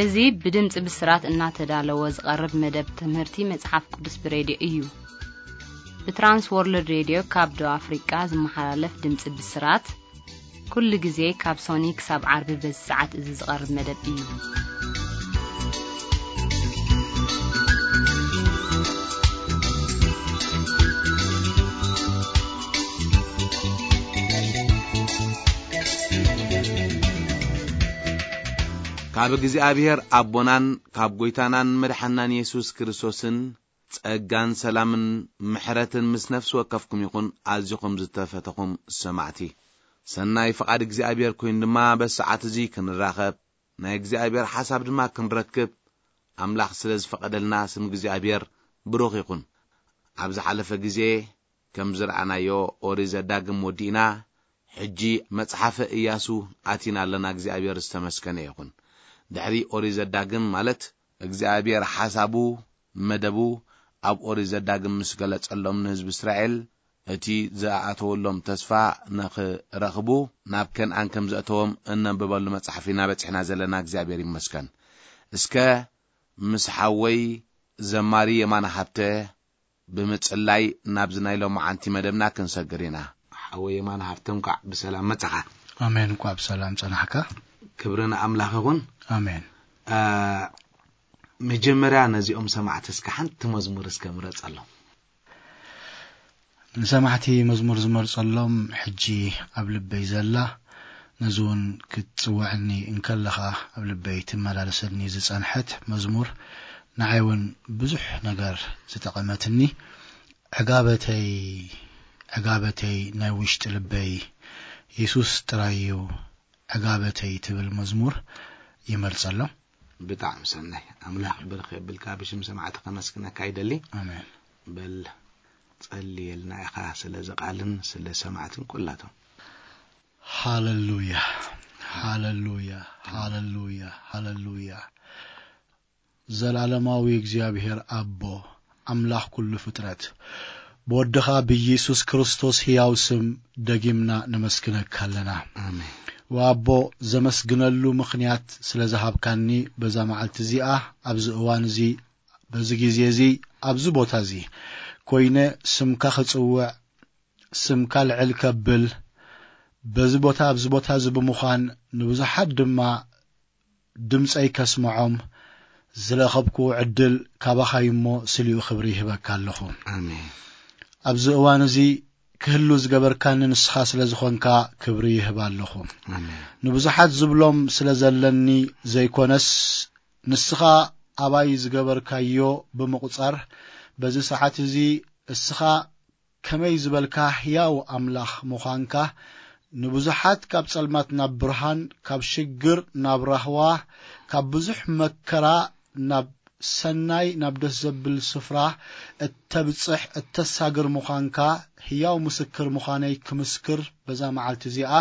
እዚ ብድምፂ ብስራት እናተዳለወ ዝቐርብ መደብ ትምህርቲ መፅሓፍ ቅዱስ ብሬድዮ እዩ። ብትራንስ ወርልድ ሬድዮ ካብ ደቡብ ኣፍሪቃ ዝመሓላለፍ ድምፂ ብስራት ኩሉ ግዜ ካብ ሶኒ ክሳብ ዓርቢ በዚ ሰዓት እዚ ዝቐርብ መደብ እዩ። ካብ እግዚኣብሔር ኣቦናን ካብ ጐይታናን መድሓናን የሱስ ክርስቶስን ጸጋን ሰላምን ምሕረትን ምስ ነፍሲ ወከፍኩም ይኹን። ኣዚኹም ዝተፈተኹም ሰማዕቲ፣ ሰናይ ፍቓድ እግዚኣብሔር ኮይኑ ድማ በዚ ሰዓት እዚ ክንራኸብ፣ ናይ እግዚኣብሔር ሓሳብ ድማ ክንረክብ ኣምላኽ ስለ ዝፈቐደልና ስም እግዚኣብሔር ብሩኽ ይኹን። ኣብ ዝሓለፈ ግዜ ከም ዝረኣናዮ ኦሪት ዘዳግም ወዲእና፣ ሕጂ መጽሓፈ ኢያሱ ኣቲና ኣለና። እግዚኣብሔር ዝተመስገነ ይኹን። ድሕሪ ኦሪት ዘዳግም ማለት እግዚኣብሔር ሓሳቡ፣ መደቡ ኣብ ኦሪት ዘዳግም ምስ ገለጸሎም ንህዝቢ እስራኤል፣ እቲ ዝኣተወሎም ተስፋ ንኽረኽቡ ናብ ከንኣን ከም ዘእተዎም እነንብበሉ መጽሓፍ ኢና በጺሕና ዘለና። እግዚኣብሔር ይመስገን። እስከ ምስ ሓወይ ዘማሪ የማነ ሃብተ ብምጽላይ ናብዚ ናይ ሎማዓንቲ መደብና ክንሰግር ኢና። ሓወይ የማነ ሃብተ፣ እንኳዕ ብሰላም መጻኻ። ኣሜን። እንኳዕ ብሰላም ጸናሕካ። ክብሪ ንኣምላኽ ይኹን። ኣሜን። አ፣ መጀመርያ ነዚኦም ሰማዕቲ እስከ ሓንቲ መዝሙር እስከ ምረጸሎም። ንሰማዕቲ መዝሙር ዝመርጸሎም ሕጂ ኣብ ልበይ ዘላ፣ ነዚ እውን ክትጽውዐኒ እንከለኻ ኣብ ልበይ ትመላለሰኒ ዝጸንሐት መዝሙር፣ ንዓይ እውን ብዙሕ ነገር ዝጠቐመትኒ፣ ዕጋበተይ፣ ዕጋበተይ ናይ ውሽጢ ልበይ፣ የሱስ ጥራይ እዩ ዕጋበተይ ትብል መዝሙር ይመርጸሎም። ብጣዕሚ ሰናይ። ኣምላኽ ብርኽ የብልካ። ብሽም ሰማዕቲ ከመስግነካ ይደሊ። ኣሜን። በል፣ ጸልየልና ኢኻ ስለዚ ቃልን ስለ ሰማዕትን ኩላቶም። ሃለሉያ፣ ሃለሉያ፣ ሃለሉያ፣ ሃለሉያ። ዘላለማዊ እግዚኣብሔር ኣቦ፣ ኣምላኽ ኩሉ ፍጥረት፣ ብወድኻ ብኢየሱስ ክርስቶስ ሕያው ስም ደጊምና ነመስግነካ ኣለና። ኣሜን። ወኣቦ፣ ዘመስግነሉ ምኽንያት ስለ ዝሃብካኒ በዛ መዓልቲ እዚኣ፣ ኣብዚ እዋን እዚ፣ በዚ ግዜ እዚ፣ ኣብዚ ቦታ እዚ ኮይነ ስምካ ክጽውዕ፣ ስምካ ልዕል ከብል፣ በዚ ቦታ፣ ኣብዚ ቦታ እዚ ብምዃን ንብዙሓት ድማ ድምፀይ ከስምዖም ዝረኸብክዎ ዕድል ካባኻ እዩ እሞ ስሊኡ ክብሪ ይህበካ ኣለኹ። ኣሜን። ኣብዚ እዋን እዚ ክህሉ ዝገበርካኒ ንስኻ ስለ ዝኾንካ ክብሪ ይህብ ኣለኹ። ኣሜን። ንብዙሓት ዝብሎም ስለ ዘለኒ ዘይኮነስ፣ ንስኻ ኣባይ ዝገበርካዮ ብምቑጻር፣ በዚ ሰዓት እዚ እስኻ ከመይ ዝበልካ ህያው ኣምላኽ ምዃንካ፣ ንብዙሓት ካብ ጸልማት ናብ ብርሃን፣ ካብ ሽግር ናብ ራህዋ፣ ካብ ብዙሕ መከራ ናብ ሰናይ፣ ናብ ደስ ዘብል ስፍራ እተብጽሕ፣ እተሳግር ምዃንካ ህያው ምስክር ምዃነይ ክምስክር በዛ መዓልቲ እዚኣ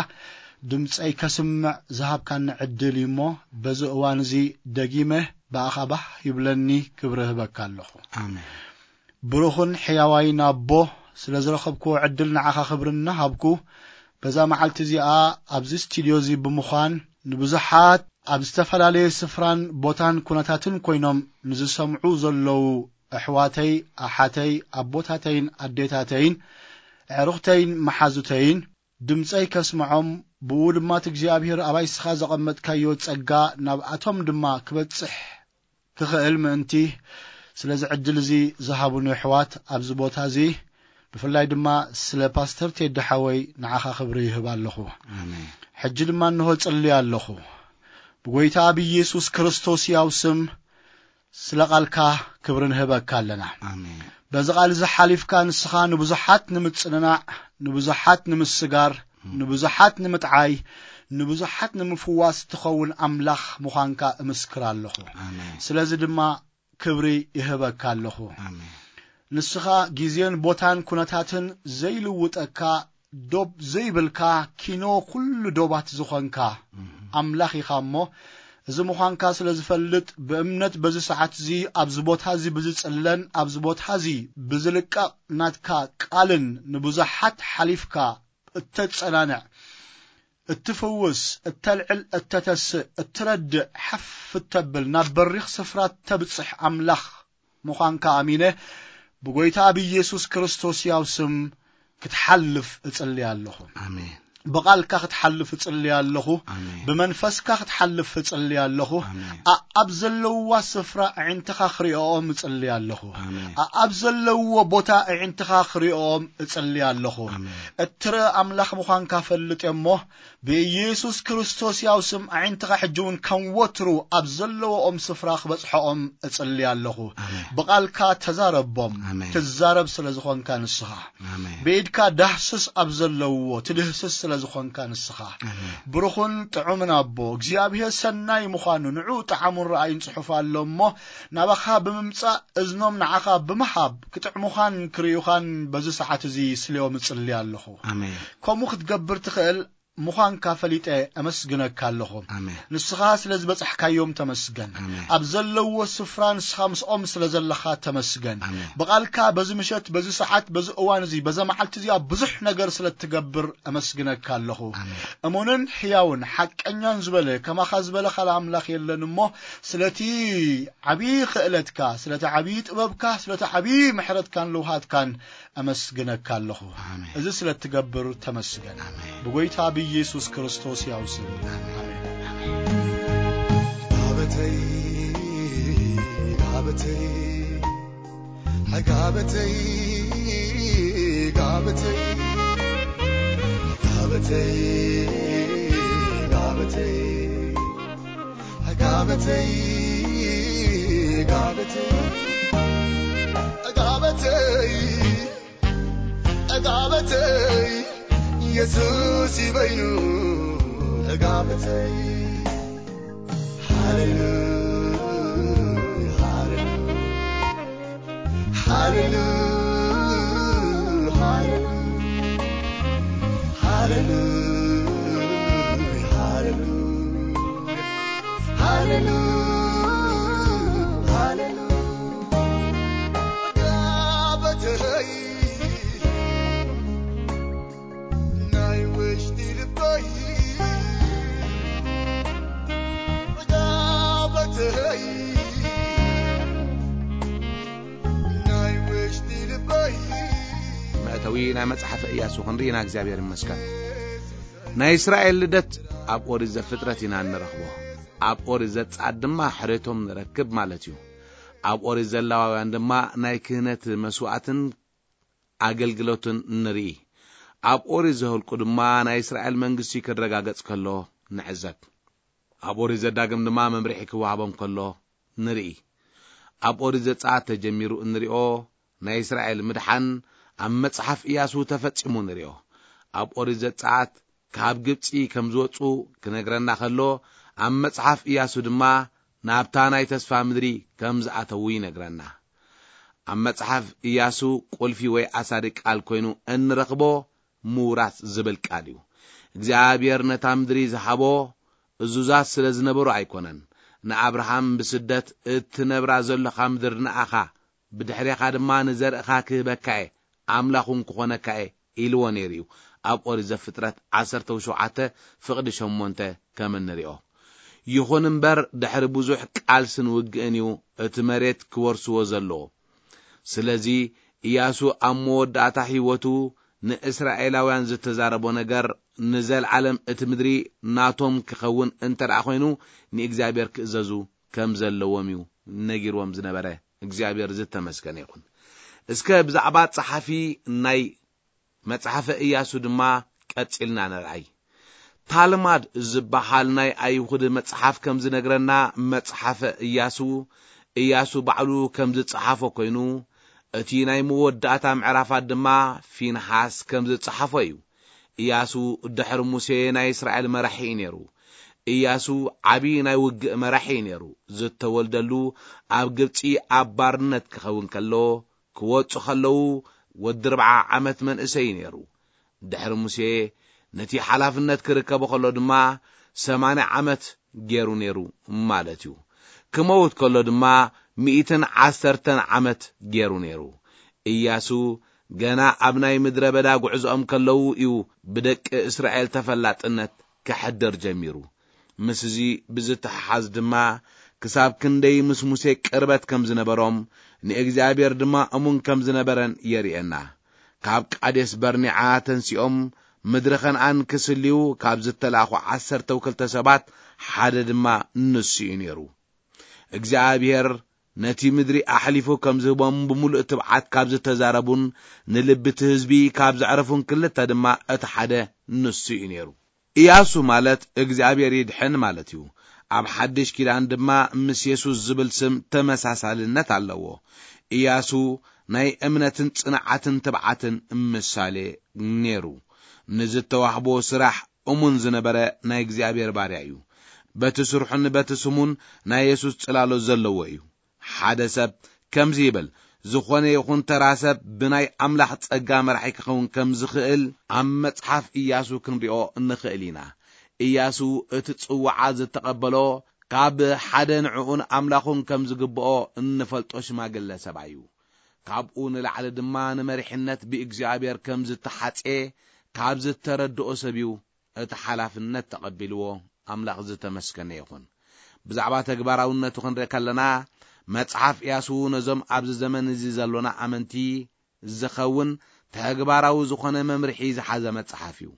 ድምጸይ ከስምዕ ዝሃብካኒ ዕድል እዩ እሞ፣ በዚ እዋን እዚ ደጊመ ብኣኻ ባህ ይብለኒ፣ ክብሪ እህበካ ኣለኹ። ኣሜን። ብሩኽን ሕያዋይን ኣቦ፣ ስለ ዝረኸብክዎ ዕድል ንዓኻ ክብሪ እናሃብኩ፣ በዛ መዓልቲ እዚኣ ኣብዚ ስቱድዮ እዚ ብምዃን፣ ንብዙሓት ኣብ ዝተፈላለየ ስፍራን ቦታን ኩነታትን ኮይኖም ንዝሰምዑ ዘለዉ ኣሕዋተይ፣ ኣሓተይ፣ ኣቦታተይን ኣዴታተይን፣ ኣዕሩኽተይን መሓዙተይን፣ ድምፀይ ከስምዖም፣ ብኡ ድማ እቲ እግዚኣብሔር ኣባይ ንስኻ ዘቐመጥካዮ ጸጋ ናብኣቶም ድማ ክበጽሕ ክኽእል ምእንቲ፣ ስለዚ ዕድል እዚ ዝሃቡኒ ኣሕዋት ኣብዚ ቦታ እዚ፣ ብፍላይ ድማ ስለ ፓስተር ቴዲ ሓወይ ንዓኻ ክብሪ ይህብ ኣለኹ። ኣሜን። ሕጂ ድማ እንሆ ጽሊ ኣለኹ። ብጎይታ ብኢየሱስ ክርስቶስ ያው ስም ስለ ቃልካ ክብሪ ንህበካ ኣለና። ኣሜን። በዚ ቃል እዚ ሓሊፍካ ንስኻ ንብዙሓት ንምጽንናዕ፣ ንብዙሓት ንምስጋር፣ ንብዙሓት ንምጥዓይ፣ ንብዙሓት ንምፍዋስ ትኸውን ኣምላኽ ምዃንካ እምስክር ኣለኹ። ኣሜን። ስለዚ ድማ ክብሪ ይህበካ ኣለኹ። ኣሜን። ንስኻ ግዜን ቦታን ኩነታትን ዘይልውጠካ፣ ዶብ ዘይብልካ፣ ኪኖ ኩሉ ዶባት ዝኾንካ ኣምላኽ ኢኻ እሞ፣ እዚ ምዃንካ ስለ ዝፈልጥ፣ ብእምነት በዚ ሰዓት እዚ ኣብዚ ቦታ እዚ ብዝጽለን ኣብዚ ቦታ እዚ ብዝልቀቕ ናትካ ቃልን ንብዙሓት ሓሊፍካ እተጸናንዕ፣ እትፍውስ፣ እተልዕል፣ እተተስእ፣ እትረድእ፣ ሓፍ እተብል፣ ናብ በሪኽ ስፍራ እተብጽሕ ኣምላኽ ምዃንካ ኣሚነ፣ ብጎይታ ብኢየሱስ ክርስቶስ ያው ስም ክትሓልፍ እጽሊ ኣለኹ። ኣሜን። ብቓልካ ክትሓልፍ እጽሊ ኣለኹ። ኣሜን። ብመንፈስካ ክትሓልፍ እጽሊ ኣለኹ። ኣሜን። ኣኣብ ዘለውዋ ስፍራ ኣዒንትኻ ክሪኦኦም እጽሊ ኣለኹ። ኣሜን። ኣኣብ ዘለውዎ ቦታ ኣዒንትኻ ክሪኦኦም እጽሊ ኣለኹ። ኣሜን። እትርኢ ኣምላኽ ምዃንካ ፈልጥ እሞ፣ ብኢየሱስ ክርስቶስ ያው ስም ኣዒንትኻ ሕጂ እውን ከም ወትሩ ኣብ ዘለዎኦም ስፍራ ክበጽሖኦም እጽሊ ኣለኹ። ኣሜን። ብቓልካ ተዛረቦም። ኣሜን። ትዛረብ ስለ ዝኾንካ ንስኻ። ኣሜን። ብኢድካ ዳህስስ ኣብ ዘለውዎ፣ ትድህስስ ስለ ዝኾንካ ንስኻ። ኣሜን። ብሩኹን ጥዑምን ኣቦ፣ እግዚኣብሔር ሰናይ ምዃኑ ንዑ ጣዕሙን ረኣዩን ጽሑፍ ኣሎ እሞ፣ ናባኻ ብምምጻእ እዝኖም ንዓኻ ብምሃብ፣ ክጥዕሙኻን ክርእዩኻን በዚ ሰዓት እዚ ስልዮም እጽሊ ኣለኹ። ኣሜን። ከምኡ ክትገብር ትኽእል ምዃንካ ፈሊጠ እመስግነካ ኣለኹ። ኣሜን። ንስኻ ስለ ዝበጻሕካዮም ተመስገን። ኣሜን። ኣብ ዘለዎ ስፍራ ንስኻ ምስኦም ስለ ዘለኻ ተመስገን። ኣሜን። ብቓልካ በዚ ምሸት፣ በዚ ሰዓት፣ በዚ እዋን እዚ፣ በዛ መዓልቲ እዚኣ ብዙሕ ነገር ስለ እትገብር እመስግነካ ኣለኹ። ኣሜን። እሙንን ሕያውን ሓቀኛን ዝበለ ከማኻ ዝበለ ካልእ ኣምላኽ የለን እሞ፣ ስለቲ ዓብዪ ክእለትካ፣ ስለቲ ዓብዪ ጥበብካ፣ ስለቲ ዓብዪ ምሕረትካን ልውሃትካን እመስግነካ ኣለኹ። ኣሜን። እዚ ስለ እትገብር ተመስገን። ኣሜን። ብጎይታ ብኢየሱስ ክርስቶስ ያው ስም። ኣሜን። ጋበተይ ጋበተይ ጋበተይ ጋበተይ ጋበተይ ጋበተይ ጋበተይ ጋበተይ ጋበተይ ጋበተይ የሱስ ይበይኑ ጋበተይ ሃሌሉያ ሃሌሉያ ሃሌሉያ ሃሌሉያ ሃሌሉያ ሃሌሉያ ሃሌሉያ ጋበተይ ናይ ውሽጢ ልበይ ጋበተይ ናይ ውሽጢ ልበይ መእተዊ ናይ መጽሓፈ ኢያሱ ክንርኢና እግዚኣብሔር ይመስገን። ናይ እስራኤል ልደት ኣብ ኦሪት ዘፍጥረት ኢና እንረኽቦ። ኣብ ኦሪት ዘጸኣት ድማ ሕሬቶም ንረክብ ማለት እዩ። ኣብ ኦሪት ዘሌዋውያን ድማ ናይ ክህነት መስዋእትን ኣገልግሎትን ንርኢ። ኣብ ኦሪት ዘኍልቁ ድማ ናይ እስራኤል መንግስቲ ክረጋገጽ ከሎ ንዕዘብ። ኣብ ኦሪት ዘዳግም ድማ መምርሒ ክወሃቦም ከሎ ንርኢ። ኣብ ኦሪት ዘጸኣት ተጀሚሩ እንሪኦ ናይ እስራኤል ምድሓን ኣብ መጽሓፍ ኢያሱ ተፈጺሙ ንሪኦ። ኣብ ኦሪት ዘጸኣት ካብ ግብጺ ከም ዝወጹ ክነግረና ከሎ፣ ኣብ መጽሓፍ ኢያሱ ድማ ናብታ ናይ ተስፋ ምድሪ ከም ዝኣተዉ ይነግረና። ኣብ መጽሓፍ ኢያሱ ቁልፊ ወይ ኣሳዲ ቃል ኮይኑ እንረኽቦ ምውራስ ዝብል ቃል እዩ። እግዚኣብሔር ነታ ምድሪ ዝሃቦ እዙዛት ስለ ዝነበሩ ኣይኮነን። ንኣብርሃም ብስደት እትነብራ ዘሎኻ ምድሪ ንኣኻ፣ ብድሕሬኻ ድማ ንዘርእኻ ክህበካ እየ፣ ኣምላኽ እውን ክኾነካ እየ ኢልዎ ነይሩ እዩ። ኣብ ኦሪት ዘፍጥረት ዓሰርተ ሸውዓተ ፍቕዲ ሸሞንተ ከም እንሪኦ። ይኹን እምበር ድሕሪ ብዙሕ ቃልስን ውግእን እዩ እቲ መሬት ክወርስዎ ዘለዎ። ስለዚ ኢያሱ ኣብ መወዳእታ ህይወቱ ንእስራኤላውያን ዝተዛረቦ ነገር ንዘለዓለም እቲ ምድሪ ናቶም ክኸውን እንተ ደኣ ኮይኑ ንእግዚኣብሔር ክእዘዙ ከም ዘለዎም እዩ ነጊርዎም ዝነበረ። እግዚኣብሔር ዝተመስገነ ይኹን። እስከ ብዛዕባ ጸሓፊ ናይ መጽሓፈ ኢያሱ ድማ ቀጺልና ንርኣይ። ታልማድ ዝበሃል ናይ ኣይሁድ መጽሓፍ ከም ዝነግረና መጽሓፈ ኢያሱ፣ ኢያሱ ባዕሉ ከም ዝጸሓፎ ኮይኑ፣ እቲ ናይ መወዳእታ ምዕራፋት ድማ ፊንሃስ ከም ዝጸሓፎ እዩ። ኢያሱ ድሕሪ ሙሴ ናይ እስራኤል መራሒ እዩ ነይሩ። ኢያሱ ዓቢ ናይ ውግእ መራሒ እዩ ነይሩ። ዝተወልደሉ ኣብ ግብጺ ኣብ ባርነት ክኸውን ከሎ፣ ክወጹ ከለዉ ወዲ ኣርብዓ ዓመት መንእሰይ እዩ ነይሩ። ድሕሪ ሙሴ ነቲ ሓላፍነት ክርከቦ ከሎ ድማ ሰማንያ ዓመት ገይሩ ነይሩ ማለት እዩ። ክመውት ከሎ ድማ ሚእትን ዓሰርተን ዓመት ገይሩ ነይሩ። ኢያሱ ገና ኣብ ናይ ምድረ በዳ ጉዕዞኦም ከለዉ እዩ ብደቂ እስራኤል ተፈላጥነት ክሕድር ጀሚሩ። ምስዚ ብዝተሓሓዝ ድማ፣ ክሳብ ክንደይ ምስ ሙሴ ቅርበት ከም ዝነበሮም፣ ንእግዚኣብሔር ድማ እሙን ከም ዝነበረን የርእየና። ካብ ቃዴስ በርኒዓ ተንሲኦም ምድሪ ከነኣን ክስልዩ ካብ ዝተላእኹ ዓሰርተ ክልተ ሰባት ሓደ ድማ ንሱ እዩ ነይሩ። እግዚኣብሔር ነቲ ምድሪ ኣሕሊፉ ከም ዝህቦም ብምሉእ ትብዓት ካብ ዝተዛረቡን ንልቢ እቲ ህዝቢ ካብ ዘዕረፉን ክልተ ድማ እቲ ሓደ ንሱ እዩ ነይሩ። ኢያሱ ማለት እግዚኣብሔር ይድሕን ማለት እዩ። ኣብ ሓድሽ ኪዳን ድማ ምስ የሱስ ዝብል ስም ተመሳሳልነት ኣለዎ። ኢያሱ ናይ እምነትን ጽንዓትን ትብዓትን ምሳሌ ነይሩ። ንዝተዋህቦ ስራሕ እሙን ዝነበረ ናይ እግዚኣብሔር ባርያ እዩ። በቲ ስርሑን በቲ ስሙን ናይ የሱስ ጽላሎት ዘለዎ እዩ። ሓደ ሰብ ከምዚ ይብል፣ ዝኾነ ይኹን ተራ ሰብ ብናይ ኣምላኽ ጸጋ መራሒ ክኸውን ከም ዝኽእል ኣብ መጽሓፍ ኢያሱ ክንሪኦ ንኽእል ኢና። ኢያሱ እቲ ጽዋዓ ዝተቐበሎ ካብ ሓደ ንዕኡን ኣምላኹን ከም ዝግብኦ እንፈልጦ ሽማግለ ሰብኣይ እዩ። ካብኡ ንላዕሊ ድማ ንመሪሕነት ብእግዚኣብሔር ከም ዝተሓጽየ ካብ ዝተረድኦ ሰብ እዩ። እቲ ሓላፍነት ተቐቢልዎ ኣምላኽ ዝተመስገነ ይኹን። ብዛዕባ ተግባራውነቱ ክንርኢ ከለና፣ መጽሓፍ ኢያሱ ነዞም ኣብዚ ዘመን እዚ ዘሎና ኣመንቲ ዝኸውን ተግባራዊ ዝኾነ መምርሒ ዝሓዘ መጽሓፍ እዩ።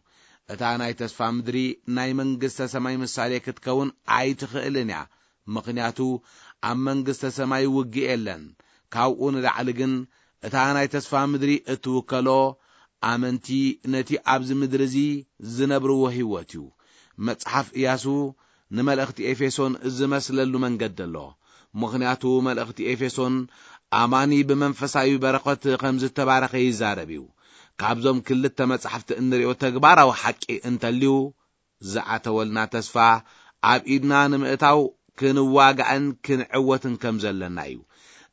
እታ ናይ ተስፋ ምድሪ ናይ መንግስተ ሰማይ ምሳሌ ክትከውን ኣይትኽእልን እያ። ምኽንያቱ ኣብ መንግስተ ሰማይ ውግእ የለን። ካብኡ ንላዕሊ ግን እታ ናይ ተስፋ ምድሪ እትውከሎ ኣመንቲ ነቲ ኣብዚ ምድሪ እዚ ዝነብርዎ ህይወት እዩ። መጽሓፍ ኢያሱ ንመልእኽቲ ኤፌሶን ዝመስለሉ መንገዲ ኣሎ። ምኽንያቱ መልእኽቲ ኤፌሶን ኣማኒ ብመንፈሳዊ በረኸት ከም ዝተባረኸ ይዛረብ እዩ። ካብዞም ክልተ መጻሕፍቲ እንሪኦ ተግባራዊ ሓቂ እንተልዩ፣ ዝኣተወልና ተስፋ ኣብ ኢድና ንምእታው ክንዋጋእን ክንዕወትን ከም ዘለና እዩ።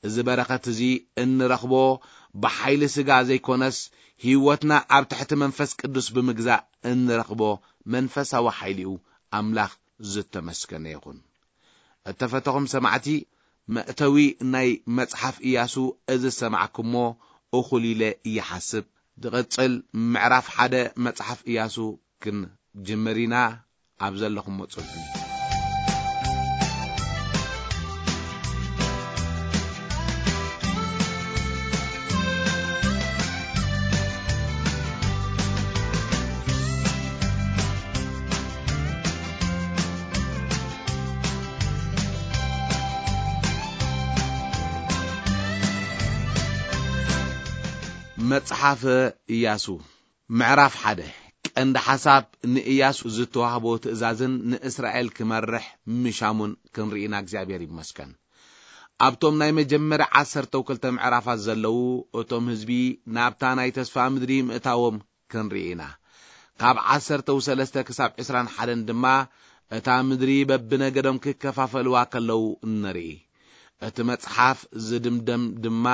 እዚ በረኸት እዚ እንረኽቦ ብሓይሊ ስጋ ዘይኮነስ፣ ህይወትና ኣብ ትሕቲ መንፈስ ቅዱስ ብምግዛእ እንረኽቦ መንፈሳዊ ሓይሊ እዩ። ኣምላኽ ዝተመስገነ ይኹን። እተፈተኹም ሰማዕቲ፣ መእተዊ ናይ መጽሓፍ ኢያሱ እዚ ዝሰማዕኩሞ እኹል ኢለ ይሓስብ። ዝቕጽል ምዕራፍ ሓደ መጽሓፍ ኢያሱ ክንጅምር ኢና። ኣብ ዘለኹሞ ጽንሑ። መጽሓፈ ኢያሱ ምዕራፍ ሓደ። ቀንዲ ሓሳብ ንኢያሱ ዝተዋህቦ ትእዛዝን ንእስራኤል ክመርሕ ምሻሙን ክንርኢና እግዚኣብሔር ይመስገን። ኣብቶም ናይ መጀመርያ ዓሰርተ ክልተ ምዕራፋት ዘለዉ እቶም ህዝቢ ናብታ ናይ ተስፋ ምድሪ ምእታዎም ክንርኢ ኢና። ካብ ዓሰርተ ሰለስተ ክሳብ ዕስራን ሓደን ድማ እታ ምድሪ በብነገዶም ክከፋፈልዋ ከለዉ ንርኢ። እቲ መጽሓፍ ዝድምደም ድማ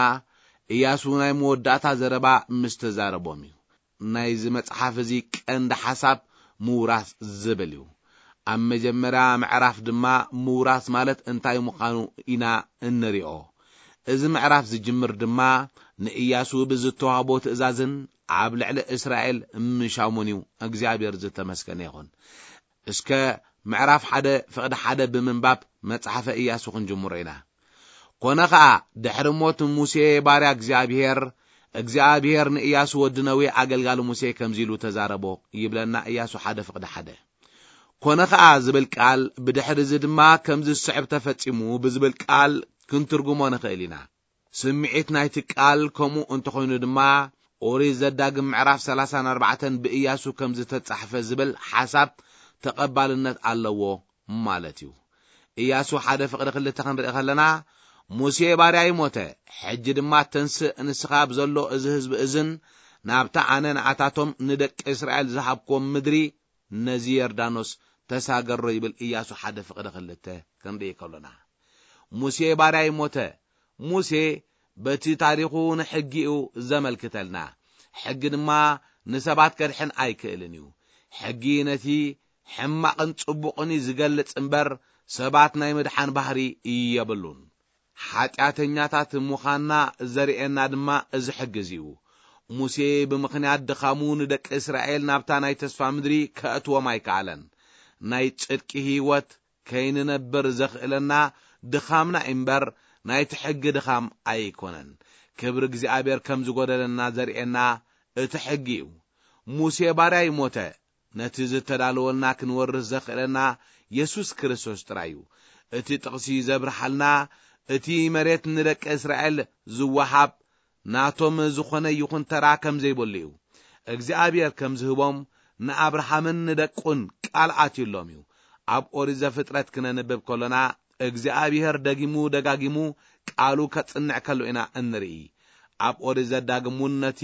ኢያሱ ናይ መወዳእታ ዘረባ ምስ ተዛረቦም እዩ። ናይዚ መጽሓፍ እዚ ቀንዲ ሓሳብ ምውራስ ዝብል እዩ። ኣብ መጀመርያ ምዕራፍ ድማ ምውራስ ማለት እንታይ ምዃኑ ኢና እንሪኦ። እዚ ምዕራፍ ዝጅምር ድማ ንኢያሱ ብዝተዋህቦ ትእዛዝን ኣብ ልዕሊ እስራኤል ምሻሙን እዩ። እግዚኣብሔር ዝተመስገነ ይኹን። እስከ ምዕራፍ ሓደ ፍቕዲ ሓደ ብምንባብ መጽሓፈ ኢያሱ ክንጅምሮ ኢና። ኮነ ኸኣ ድሕሪ ሞት ሙሴ ባርያ እግዚኣብሔር፣ እግዚኣብሔር ንኢያሱ ወዲ ነዌ ኣገልጋሊ ሙሴ ከምዚ ኢሉ ተዛረቦ ይብለና ኢያሱ ሓደ ፍቕዲ ሓደ። ኮነ ኸኣ ዝብል ቃል ብድሕሪ እዚ ድማ ከምዚ ዝስዕብ ተፈጺሙ ብዝብል ቃል ክንትርጉሞ ንኽእል ኢና። ስምዒት ናይቲ ቃል ከምኡ እንተኾይኑ ድማ ኦሪት ዘዳግም ምዕራፍ ሰላሳን ኣርባዕተን ብኢያሱ ከም ዝተጻሕፈ ዝብል ሓሳብ ተቐባልነት ኣለዎ ማለት እዩ። ኢያሱ ሓደ ፍቕዲ ክልተ ክንርኢ ከለና፣ ሙሴ ባርያይ ሞተ፣ ሕጂ ድማ ተንስእ ንስኻ ብዘሎ እዚ ህዝቢ እዝን ናብታ ኣነ ንኣታቶም ንደቂ እስራኤል ዝሃብክዎም ምድሪ ነዚ ዮርዳኖስ ተሳገሮ ይብል ኢያሱ ሓደ ፍቕዲ ክልተ ክንርኢ ከሎና። ሙሴ ባርያይ ሞተ። ሙሴ በቲ ታሪኹ ንሕጊኡ ዘመልክተልና። ሕጊ ድማ ንሰባት ከድሕን ኣይክእልን እዩ። ሕጊ ነቲ ሕማቕን ጽቡቕን እዩ ዝገልጽ እምበር ሰባት ናይ ምድሓን ባህሪ የብሉን። ሓጢኣተኛታት ምዃንና ዘርእየና ድማ እዚ ሕጊ እዚ እዩ። ሙሴ ብምኽንያት ድኻሙ ንደቂ እስራኤል ናብታ ናይ ተስፋ ምድሪ ከእትዎም ኣይከኣለን። ናይ ጽድቂ ህይወት ከይንነብር ዘኽእለና ድኻምና እምበር፣ ናይቲ ሕጊ ድኻም ኣይኮነን። ክብሪ እግዚኣብሔር ከም ዝጎደለና ዘርእየና እቲ ሕጊ እዩ። ሙሴ ባርያ ይሞተ፣ ነቲ ዝተዳለወልና ክንወርስ ዘኽእለና የሱስ ክርስቶስ ጥራይ እዩ። እቲ ጥቕሲ ዘብርሃልና፣ እቲ መሬት ንደቂ እስራኤል ዝወሃብ ናቶም ዝኾነ ይኹን ተራ ከም ዘይብሉ እዩ። እግዚኣብሔር ከም ዝህቦም ንኣብርሃምን ንደቁን ቃል ኣትዩሎም እዩ። ኣብ ኦሪት ዘፍጥረት ክነንብብ ከሎና፣ እግዚኣብሔር ደጊሙ ደጋጊሙ ቃሉ ከጽንዕ ከሎ ኢና እንርኢ። ኣብ ኦሪት ዘዳግም እውን ነቲ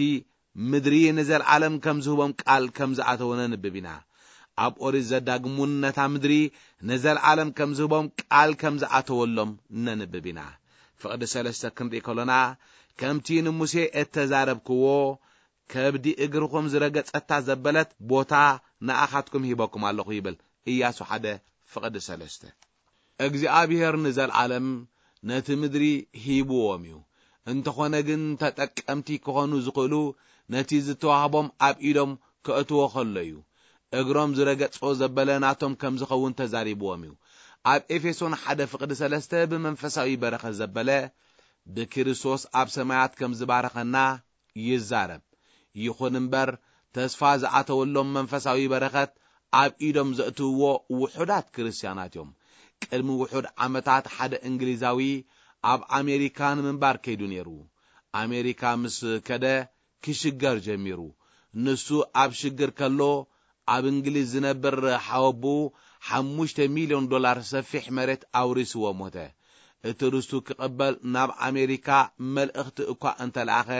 ምድሪ ንዘለዓለም ከም ዝህቦም ቃል ከም ዝኣተወ ነንብብ ኢና። ኣብ ኦሪት ዘዳግም እውን ነታ ምድሪ ንዘለዓለም ከም ዝህቦም ቃል ከም ዝኣተወሎም ነንብብ ኢና። ፍቕዲ ሰለስተ ክንርኢ ከሎና፣ ከምቲ ንሙሴ እተዛረብክዎ፣ ከብዲ እግርኹም ዝረገጸታ ዘበለት ቦታ ንኣኻትኩም ሂበኩም ኣለኹ ይብል። ኢያሱ ሓደ ፍቕዲ ሰለስተ። እግዚኣብሔር ንዘለዓለም ነቲ ምድሪ ሂብዎም እዩ። እንተኾነ ግን ተጠቀምቲ ክኾኑ ዝኽእሉ ነቲ ዝተዋህቦም ኣብ ኢዶም ከእትዎ ከሎ እዩ። እግሮም ዝረገጾ ዘበለ ናቶም ከም ዝኸውን ተዛሪብዎም እዩ። ኣብ ኤፌሶን ሓደ ፍቕዲ ሰለስተ ብመንፈሳዊ በረኸት ዘበለ ብክርስቶስ ኣብ ሰማያት ከም ዝባረኸና ይዛረብ። ይኹን እምበር ተስፋ ዝኣተወሎም መንፈሳዊ በረኸት ኣብ ኢዶም ዘእትውዎ ውሑዳት ክርስትያናት እዮም። ቅድሚ ውሑድ ዓመታት ሓደ እንግሊዛዊ ኣብ ኣሜሪካ ንምንባር ከይዱ ነይሩ። ኣሜሪካ ምስ ከደ ክሽገር ጀሚሩ። ንሱ ኣብ ሽግር ከሎ ኣብ እንግሊዝ ዝነብር ሓወብኡ ሓሙሽተ ሚልዮን ዶላር ሰፊሕ መሬት ኣውሪስዎ ሞተ። እቲ ርስቱ ክቕበል ናብ ኣሜሪካ መልእኽቲ እኳ እንተለኣኸ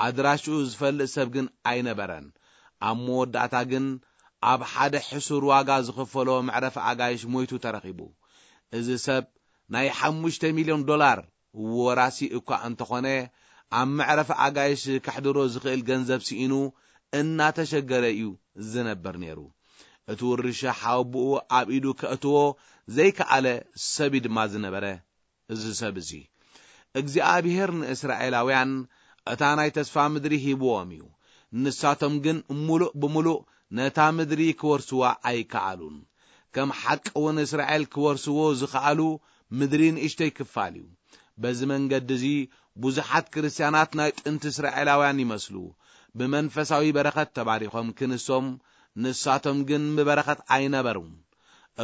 ኣድራሽኡ ዝፈልጥ ሰብ ግን ኣይነበረን። ኣብ መወዳእታ ግን ኣብ ሓደ ሕሱር ዋጋ ዝኽፈሎ መዕረፊ ኣጋይሽ ሞይቱ ተረኺቡ። እዚ ሰብ ናይ ሓሙሽተ ሚልዮን ዶላር ወራሲ እኳ እንተኾነ ኣብ መዕረፊ ኣጋይሽ ከሕድሮ ዝኽእል ገንዘብ ስኢኑ እናተሸገረ እዩ ዝነብር ነይሩ። እቲ ውርሻ ሓወብኡ ኣብ ኢዱ ከእትዎ ዘይከኣለ ሰብ እዩ ድማ ዝነበረ። እዚ ሰብ እዚ እግዚኣብሔር ንእስራኤላውያን እታ ናይ ተስፋ ምድሪ ሂብዎም እዩ። ንሳቶም ግን ምሉእ ብምሉእ ነታ ምድሪ ክወርስዋ ኣይከኣሉን። ከም ሓቂ እውን እስራኤል ክወርስዎ ዝኸኣሉ ምድሪ ንእሽተይ ክፋል እዩ። በዚ መንገዲ እዚ ብዙሓት ክርስትያናት ናይ ጥንቲ እስራኤላውያን ይመስሉ። ብመንፈሳዊ በረኸት ተባሪኾም ክንሶም፣ ንሳቶም ግን ብበረኸት ኣይነበሩን።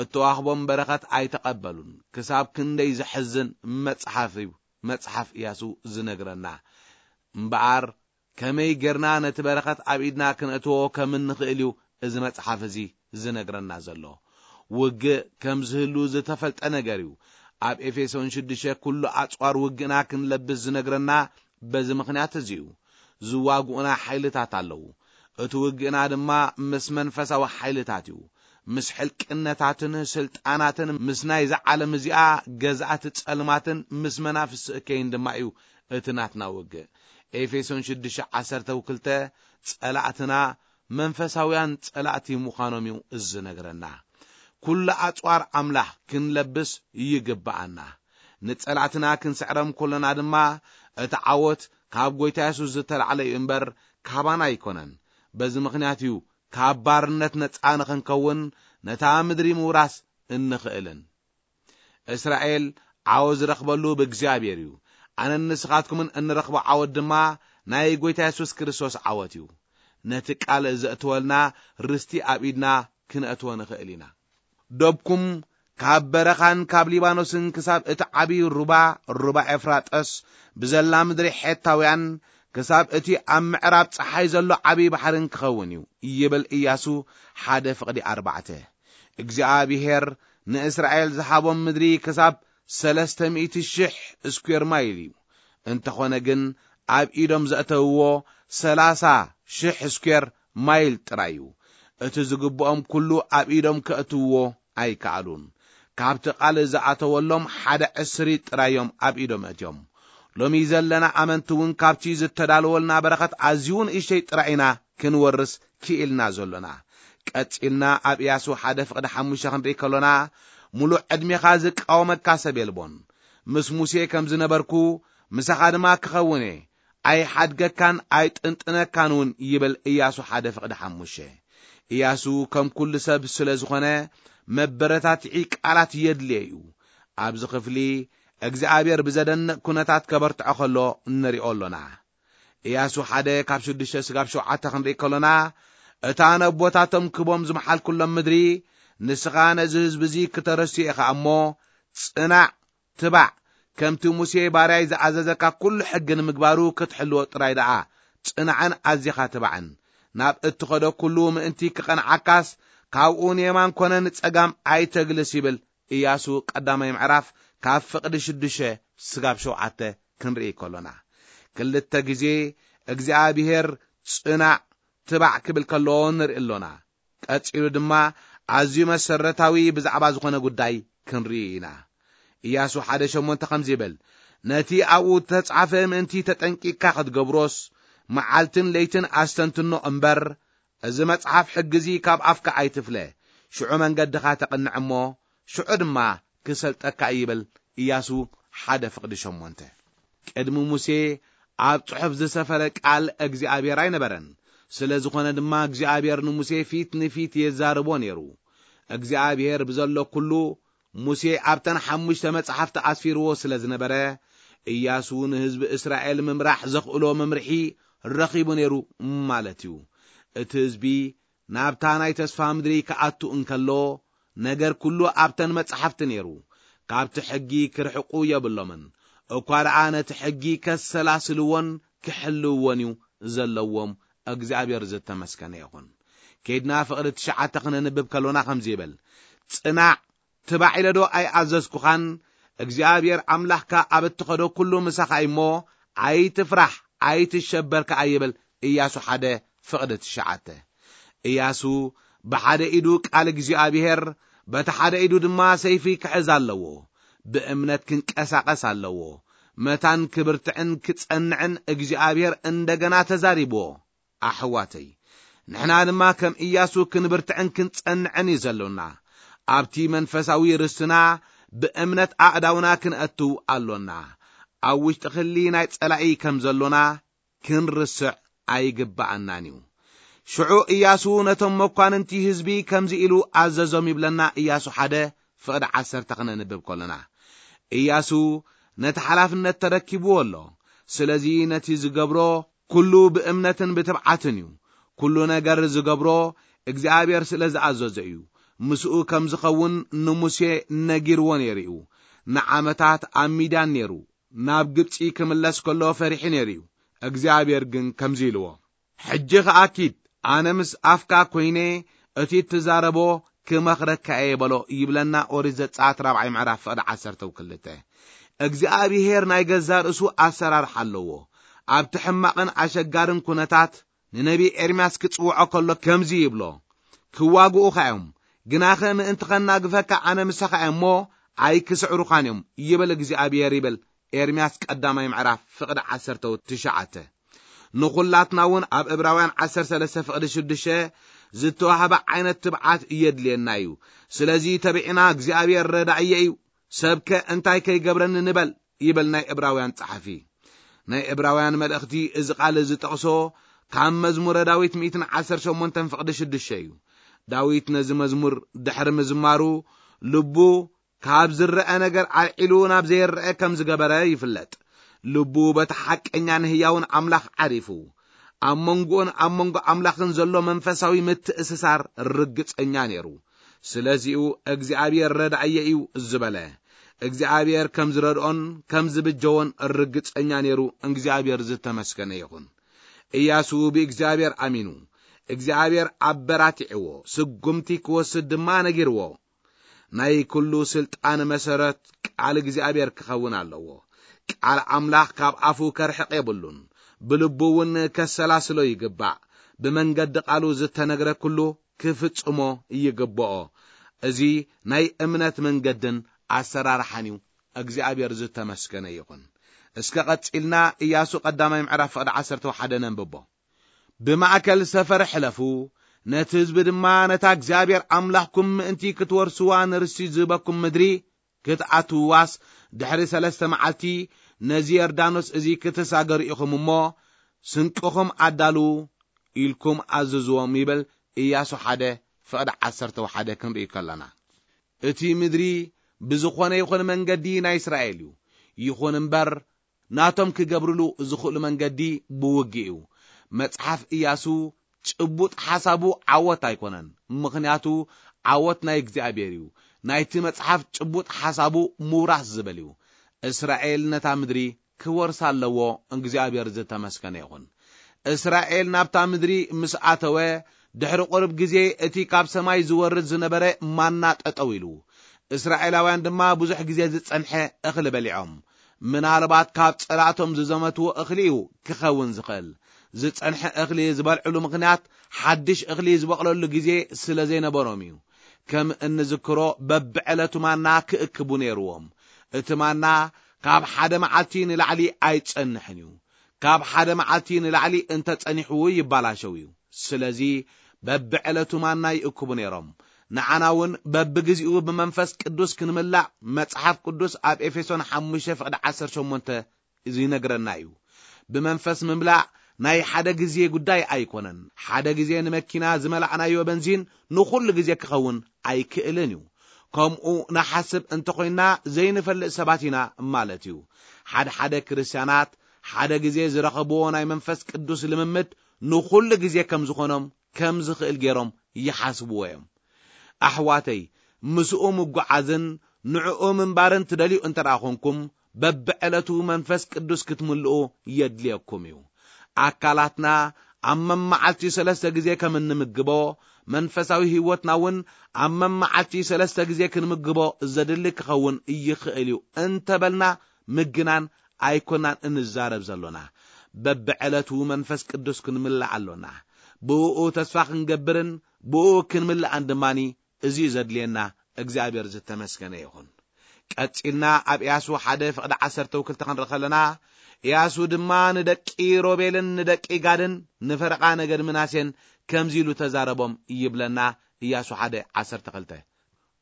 እተዋህቦም በረኸት ኣይተቐበሉን። ክሳብ ክንደይ ዘሕዝን መጽሓፍ እዩ መጽሓፍ ኢያሱ ዝነግረና። እምበኣር ከመይ ጌርና ነቲ በረኸት ኣብ ኢድና ክነእትዎ ከም እንኽእል እዩ እዚ መጽሓፍ እዚ ዝነግረና ዘሎ። ውግእ ከም ዝህሉ ዝተፈልጠ ነገር እዩ። ኣብ ኤፌሶን ሽዱሽተ ኩሉ ኣጽዋር ውግእና ክንለብስ ዝነግረና በዚ ምኽንያት እዚ እዩ። ዝዋግኡና ሓይልታት ኣለዉ። እቲ ውግእና ድማ ምስ መንፈሳዊ ሓይልታት እዩ። ምስ ሕልቅነታትን ስልጣናትን ምስ ናይዛ ዓለም እዚኣ ገዛእቲ ጸልማትን ምስ መናፍስቲ እከይን ድማ እዩ እቲ ናትና ውግእ። ኤፌሶን ሽዱሽተ ዓሰርተ ክልተ ጸላእትና መንፈሳውያን ጸላእቲ ምዃኖም እዩ ዝነግረና። ኩሉ ኣጽዋር ኣምላኽ ክንለብስ ይግብኣና። ንጸላእትና ክንስዕሮም ከሎና ድማ እቲ ዓወት ካብ ጐይታ የሱስ ዝተላዕለ እዩ እምበር ካባና ኣይኮነን። በዚ ምኽንያት እዩ ካብ ባርነት ነጻ ንኽንከውን ነታ ምድሪ ምውራስ እንኽእልን። እስራኤል ዓወት ዝረኽበሉ ብእግዚኣብሔር እዩ። ኣነን ንስኻትኩምን እንረኽቦ ዓወት ድማ ናይ ጐይታ የሱስ ክርስቶስ ዓወት እዩ። ነቲ ቃል ዘእትወልና ርስቲ ኣብ ኢድና ክነእትዎ ንኽእል ኢና። ዶብኩም ካብ በረኻን ካብ ሊባኖስን ክሳብ እቲ ዓብዪ ሩባ፣ ሩባ ኤፍራጠስ፣ ብዘላ ምድሪ ሔታውያን፣ ክሳብ እቲ ኣብ ምዕራብ ጸሓይ ዘሎ ዓብዪ ባሕርን ክኸውን እዩ፣ ይብል ኢያሱ ሓደ ፍቕዲ ኣርባዕተ። እግዚኣብሔር ንእስራኤል ዝሃቦም ምድሪ ክሳብ ሰለስተ ሚእቲ ሽሕ ስኩዌር ማይል እዩ። እንተኾነ ግን ኣብ ኢዶም ዘእተውዎ ሰላሳ ሽሕ ስኩዌር ማይል ጥራይ እዩ። እቲ ዝግብኦም ኩሉ ኣብ ኢዶም ከእትውዎ ኣይከኣሉን። ካብቲ ቃል ዝኣተወሎም ሓደ ዕስሪ ጥራይ እዮም ኣብ ኢዶም ኣእትዮም። ሎሚ ዘለና ኣመንቲ እውን ካብቲ ዝተዳለወልና በረኸት ኣዝዩ ንእሽተይ ጥራይ ኢና ክንወርስ ክኢልና ዘሎና። ቀጺልና ኣብ ኢያሱ ሓደ ፍቕዲ ሓሙሽተ ክንርኢ ከሎና፣ "ምሉእ ዕድሜኻ ዝቃወመካ ሰብ የልቦን። ምስ ሙሴ ከም ዝነበርኩ ምሳኻ ድማ ክኸውን እየ። ኣይሓድገካን ኣይጥንጥነካን እውን" ይብል ኢያሱ ሓደ ፍቕዲ ሓሙሽተ። እያሱ ከም ኩሉ ሰብ ስለ ዝኾነ መበረታትዒ ቃላት የድልዮ እዩ። ኣብዚ ክፍሊ እግዚኣብሔር ብዘደንቕ ኩነታት ከበርትዖ ከሎ ንሪኦ ኣሎና። እያሱ ሓደ ካብ ሽዱሽተ ስጋብ ሸውዓተ ክንርኢ ከሎና፣ እታ ነቦታቶም ክቦም ዝመሓልኩሎም ምድሪ ንስኻ ነዚ ህዝቢ እዚ ክተረስዮ ኢኻ እሞ፣ ጽናዕ፣ ትባዕ፣ ከምቲ ሙሴ ባርያይ ዝኣዘዘካ ኩሉ ሕጊ ንምግባሩ ክትሕልዎ ጥራይ ደኣ ጽናዕን ኣዚኻ ትባዕን። ናብ እትኸዶ ኩሉ ምእንቲ ክቐንዓካስ ካብኡ ንየማን ኮነ ንጸጋም ኣይተግልስ ይብል እያሱ ቀዳማይ ምዕራፍ ካብ ፍቕዲ ሽዱሽተ ስጋብ ሸውዓተ ክንርኢ ከሎና። ክልተ ግዜ እግዚኣብሔር ጽናዕ ትባዕ ክብል ከሎ ንርኢ ኣሎና። ቀጺሉ ድማ ኣዝዩ መሰረታዊ ብዛዕባ ዝኾነ ጉዳይ ክንርኢ ኢና። እያሱ ሓደ ሸሞንተ ከምዚ ይብል፣ ነቲ ኣብኡ እተጻሕፈ ምእንቲ ተጠንቂቕካ ክትገብሮስ፣ መዓልትን ለይትን ኣስተንትኖ እምበር፣ እዚ መጽሓፍ ሕጊ እዚ ካብ ኣፍካ ኣይትፍለ፣ ሽዑ መንገድኻ ተቕንዕ እሞ፣ ሽዑ ድማ ክሰልጠካ እዩ ይብል እያሱ ሓደ ፍቕዲ ሸሞንተ። ቅድሚ ሙሴ ኣብ ጽሑፍ ዝሰፈረ ቃል እግዚኣብሔር ኣይነበረን። ስለ ዝኾነ ድማ እግዚኣብሔር ንሙሴ ፊት ንፊት የዛርቦ ነይሩ። እግዚኣብሔር ብዘሎ ኩሉ ሙሴ ኣብተን ሓሙሽተ መጻሕፍቲ ኣስፊርዎ ስለ ዝነበረ፣ እያሱ ንህዝቢ እስራኤል ምምራሕ ዘኽእሎ መምርሒ ረኺቡ ነይሩ ማለት እዩ። እቲ ህዝቢ ናብታ ናይ ተስፋ ምድሪ ክኣቱ እንከሎ፣ ነገር ኩሉ ኣብተን መጻሕፍቲ ነይሩ። ካብቲ ሕጊ ክርሕቁ የብሎምን። እኳ ደኣ ነቲ ሕጊ ከሰላስልዎን ክሕልውዎን እዩ ዘለዎም። እግዚኣብሔር ዝተመስገነ ይኹን። ኬድና ፍቕዲ ትሽዓተ ክነንብብ ከሎና ከምዚ ይብል፣ ጽናዕ፣ ትባዕ ኢለ ዶ ኣይኣዘዝኩኻን? እግዚኣብሔር ኣምላኽካ ኣብ እትኸዶ ኩሉ ምሳኻ እዩ እሞ፣ ኣይትፍራሕ፣ ኣይትሸበር ከኣ ይብል እያሱ ሓደ ፍቕዲ ትሽዓተ። እያሱ ብሓደ ኢዱ ቃል እግዚኣብሔር፣ በቲ ሓደ ኢዱ ድማ ሰይፊ ክሕዝ ኣለዎ። ብእምነት ክንቀሳቐስ ኣለዎ። መታን ክብርትዕን ክጸንዕን እግዚኣብሔር እንደገና ተዛሪብዎ። ኣሕዋተይ፣ ንሕና ድማ ከም እያሱ ክንብርትዕን ክንጸንዕን እዩ ዘሎና። ኣብቲ መንፈሳዊ ርስትና ብእምነት ኣእዳውና ክንእትው ኣሎና። ኣብ ውሽጢ ክሊ ናይ ጸላኢ ከም ዘሎና ክንርስዕ ኣይግብኣናን እዩ። ሽዑ እያሱ ነቶም መኳንንቲ ህዝቢ ከምዚ ኢሉ ኣዘዞም ይብለና። እያሱ ሓደ ፍቕዲ ዓሰርተ ክነንብብ ከሎና፣ እያሱ ነቲ ሓላፍነት ተረኪብዎ ኣሎ። ስለዚ ነቲ ዝገብሮ ኩሉ ብእምነትን ብትብዓትን እዩ። ኩሉ ነገር ዝገብሮ እግዚኣብሔር ስለ ዝኣዘዞ እዩ። ምስኡ ከም ዝኸውን ንሙሴ ነጊርዎ ነይሩ እዩ። ንዓመታት ኣብ ሚድያን ነይሩ። ናብ ግብጺ ክምለስ ከሎ ፈሪሑ ነይሩ እዩ። እግዚኣብሔር ግን ከምዚ ኢልዎ፣ ሕጂ ኸኣ ኪድ፣ ኣነ ምስ ኣፍካ ኮይነ እቲ እትዛረቦ ክመኽረካ እየ በሎ ይብለና ኦሪት ዘጸኣት ራብዓይ ምዕራፍ ፍቕዲ ዓሰርተ ክልተ። እግዚኣብሔር ናይ ገዛ ርእሱ ኣሰራርሓ ኣለዎ። ኣብቲ ሕማቕን ኣሸጋርን ኩነታት ንነቢ ኤርምያስ ክጽውዖ ከሎ ከምዚ ይብሎ፣ ክዋግኡኻ እዮም፣ ግናኸ ምእንቲ ኸናግፈካ ኣነ ምሳኻ እየ እሞ ኣይክስዕሩኻን እዮም ይብል እግዚኣብሔር ይብል ኤርምያስ ቀዳማይ ምዕራፍ ፍቕዲ ዓሰርተ ትሽዓተ። ንኹላትና እውን ኣብ ዕብራውያን ዓሰርተ ሰለስተ ፍቕዲ ሽዱሽተ ዝተዋህበ ዓይነት ትብዓት እየድልየና እዩ። ስለዚ ተቢዕና እግዚኣብሔር ረዳእየ እዩ፣ ሰብከ እንታይ ከይገብረኒ ንበል ይብል ናይ ዕብራውያን ጸሓፊ። ናይ ዕብራውያን መልእኽቲ እዚ ቃል እዚ ጠቕሶ ካብ መዝሙረ ዳዊት ሚእትን ዓሰርተ ሸሞንተን ፍቕዲ ሽዱሽተ እዩ። ዳዊት ነዚ መዝሙር ድሕሪ ምዝማሩ ልቡ ካብ ዝረአ ነገር ኣልዒሉ ናብ ዘይረአ ከም ዝገበረ ይፍለጥ። ልቡ በቲ ሓቀኛን ህያውን ኣምላኽ ዓሪፉ። ኣብ መንጎኡን ኣብ መንጎ ኣምላኽን ዘሎ መንፈሳዊ ምትእስሳር ርግጸኛ ነይሩ። ስለዚኡ እግዚኣብሔር ረዳእየ እዩ ዝበለ። እግዚኣብሔር ከም ዝረድኦን ከም ዝብጀዎን ርግጸኛ ነይሩ። እግዚኣብሔር ዝተመስገነ ይኹን። እያሱ ብእግዚኣብሔር ኣሚኑ፣ እግዚኣብሔር ኣበራቲዕዎ፣ ስጉምቲ ክወስድ ድማ ነጊርዎ። ናይ ኩሉ ስልጣን መሰረት ቃል እግዚኣብሔር ክኸውን ኣለዎ። ቃል ኣምላኽ ካብ ኣፉ ከርሕቕ የብሉን፣ ብልቡ እውን ከሰላስሎ ይግባእ። ብመንገዲ ቃሉ ዝተነግረ ኩሉ ክፍጽሞ ይግብኦ። እዚ ናይ እምነት መንገድን ኣሰራርሓን እዩ። እግዚኣብሔር ዝተመስገነ ይኹን። እስከ ቀጺልና ኢያሱ ቀዳማይ ምዕራፍ ፍቕዲ ዓሰርተ ሓደ ነንብቦ። ብማእከል ሰፈር ሕለፉ፣ ነቲ ህዝቢ ድማ ነታ እግዚኣብሔር ኣምላኽኩም ምእንቲ ክትወርስዋ ንርስቲ ዝህበኩም ምድሪ ክትኣትውዋስ ድሕሪ ሰለስተ መዓልቲ ነዚ ዮርዳኖስ እዚ ክትሳገሩ ኢኹም እሞ፣ ስንቅኹም ኣዳልዉ ኢልኩም ኣዝዝዎም ይብል ኢያሱ ሓደ ፍቕዲ ዓሰርተ ሓደ ክንርኢ ከለና፣ እቲ ምድሪ ብዝኾነ ይኹን መንገዲ ናይ እስራኤል እዩ። ይኹን እምበር፣ ናቶም ክገብርሉ ዝኽእሉ መንገዲ ብውግእ እዩ። መጽሓፍ ኢያሱ ጭቡጥ ሓሳቡ ዓወት ኣይኮነን፣ ምኽንያቱ ዓወት ናይ እግዚኣብሔር እዩ። ናይቲ መጽሓፍ ጭቡጥ ሓሳቡ ምውራስ ዝብል እዩ። እስራኤል ነታ ምድሪ ክወርሳ ኣለዎ። እግዚኣብሔር ዝተመስገነ ይኹን። እስራኤል ናብታ ምድሪ ምስ ኣተወ፣ ድሕሪ ቁሩብ ግዜ እቲ ካብ ሰማይ ዝወርድ ዝነበረ ማና ጠጠው ኢሉ። እስራኤላውያን ድማ ብዙሕ ግዜ ዝጸንሐ እኽሊ በሊዖም። ምናልባት ካብ ጸላእቶም ዝዘመትዎ እኽሊ እዩ ክኸውን ዝኽእል። ዝጸንሐ እኽሊ ዝበልዕሉ ምኽንያት ሓድሽ እኽሊ ዝበቕለሉ ግዜ ስለ ዘይነበሮም እዩ። ከም እንዝክሮ በብዕለቱ ማና ክእክቡ ነይርዎም። እቲ ማና ካብ ሓደ መዓልቲ ንላዕሊ ኣይጸንሕን እዩ። ካብ ሓደ መዓልቲ ንላዕሊ እንተጸኒሑ ይባላሸው እዩ። ስለዚ በብዕለቱ ማና ይእክቡ ነይሮም። ንዓና እውን በብግዚኡ ብመንፈስ ቅዱስ ክንምላእ መጽሓፍ ቅዱስ ኣብ ኤፌሶን ሓሙሽተ ፍቕዲ ዓሰርተ ሸሞንተ ይነግረና እዩ። ብመንፈስ ምምላእ ናይ ሓደ ግዜ ጉዳይ ኣይኮነን። ሓደ ግዜ ንመኪና ዝመላእናዮ በንዚን ንኹሉ ግዜ ክኸውን ኣይክእልን እዩ። ከምኡ ንሓስብ እንተኾይና ዘይንፈልጥ ሰባት ኢና ማለት እዩ። ሓደ ሓደ ክርስትያናት ሓደ ግዜ ዝረኸብዎ ናይ መንፈስ ቅዱስ ልምምድ ንኹሉ ግዜ ከም ዝኾኖም ከም ዝኽእል ገይሮም ይሓስብዎ እዮም። ኣሕዋተይ፣ ምስኡ ምጉዓዝን ንዕኡ ምንባርን ትደልዩ እንተ ደኣ ኾንኩም፣ በብዕለቱ መንፈስ ቅዱስ ክትምልኡ የድልየኩም እዩ። ኣካላትና ኣብ መመዓልቲ ሰለስተ ግዜ ከም እንምግቦ፣ መንፈሳዊ ህይወትና እውን ኣብ መመዓልቲ ሰለስተ ግዜ ክንምግቦ ዘድሊ ክኸውን ይኽእል እዩ እንተበልና ምግናን ኣይኮናን እንዛረብ ዘሎና። በብዕለቱ መንፈስ ቅዱስ ክንምላእ ኣሎና። ብእኡ ተስፋ ክንገብርን ብእኡ ክንምላእን ድማኒ እዚ እዩ ዘድልየና። እግዚኣብሔር ዝተመስገነ ይኹን። ቀጺልና ኣብ ኢያሱ ሓደ ፍቕዲ ዓሰርተ ክልተ ክንርኢ ከለና፣ ኢያሱ ድማ ንደቂ ሮቤልን ንደቂ ጋድን ንፈረቓ ነገድ ምናሴን ከምዚ ኢሉ ተዛረቦም ይብለና። ኢያሱ ሓደ ዓሰርተ ክልተ።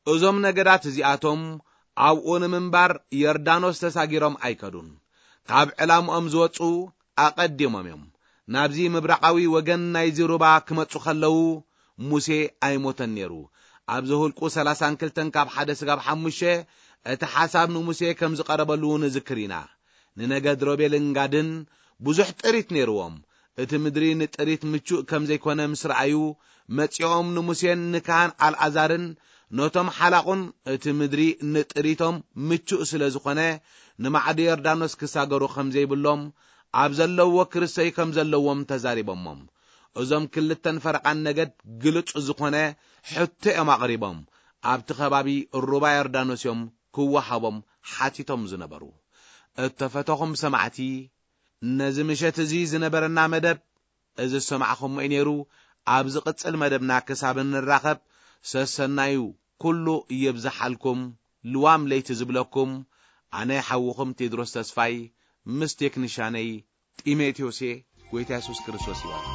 እዞም ነገዳት እዚኣቶም ኣብኡ ንምንባር ዮርዳኖስ ተሳጊሮም ኣይከዱን። ካብ ዕላምኦም ዝወጹ ኣቐዲሞም እዮም። ናብዚ ምብራቓዊ ወገን ናይዚ ሩባ ክመጹ ከለዉ ሙሴ ኣይሞተን ነይሩ። ኣብ ዘሁልቁ ሰላሳን ክልተን ካብ ሓደ ስጋብ ሓሙሽተ እቲ ሓሳብ ንሙሴ ከም ዝቐረበሉ ንዝክር ኢና። ንነገድ ሮቤልን ጋድን ብዙሕ ጥሪት ነይርዎም። እቲ ምድሪ ንጥሪት ምቹእ ከም ዘይኮነ ምስ ረኣዩ፣ መጺኦም ንሙሴን ንካህን ኣልኣዛርን ነቶም ሓላቑን፣ እቲ ምድሪ ንጥሪቶም ምቹእ ስለ ዝኾነ፣ ንማዕዶ ዮርዳኖስ ክሳገሩ ከም ዘይብሎም፣ ኣብ ዘለዎ ክርሰዩ ከም ዘለዎም ተዛሪቦሞም። እዞም ክልተን ፈረቓን ነገድ ግልጹ ዝኾነ ሕቶ እዮም ኣቕሪቦም። ኣብቲ ከባቢ ሩባ ዮርዳኖስ እዮም ክወሃቦም ሓቲቶም ዝነበሩ። እተፈተኹም ሰማዕቲ፣ ነዚ ምሸት እዚ ዝነበረና መደብ እዚ ዝሰማዕኹሞ እዩ ነይሩ። ኣብ ዝቕጽል መደብና ክሳብ እንራኸብ፣ ሰሰናዩ ኩሉ ይብዝሓልኩም። ልዋም ለይቲ ዝብለኩም፣ ኣነ ሓውኹም ቴድሮስ ተስፋይ፣ ምስ ቴክኒሻነይ ጢሞቴዎስ እየ። ጎይታ የሱስ ክርስቶስ ይባርክ።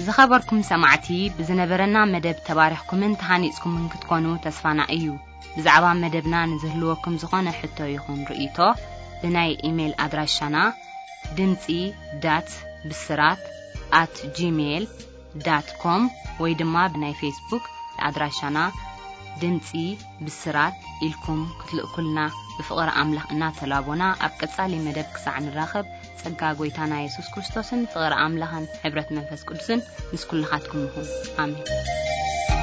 ዝኸበርኩም ሰማዕቲ፣ ብዝነበረና መደብ ተባሪኽኩምን ተሃኒጽኩምን ክትኮኑ ተስፋና እዩ። ብዛዕባ መደብና ንዝህልወኩም ዝኾነ ሕቶ ይኹን ርእይቶ፣ ብናይ ኢሜይል ኣድራሻና ድምጺ ዳት ብስራት ኣት ጂሜይል ዳት ኮም ወይ ድማ ብናይ ፌስቡክ ኣድራሻና ድምጺ ብስራት ኢልኩም ክትልእኩልና ብፍቕሪ ኣምላኽ እናተላቦና፣ ኣብ ቀጻሊ መደብ ክሳዕ ንራኸብ፣ ጸጋ ጐይታና የሱስ ክርስቶስን ፍቕሪ ኣምላኽን ሕብረት መንፈስ ቅዱስን ምስ ኩልኻትኩም ይኹን። ኣሜን።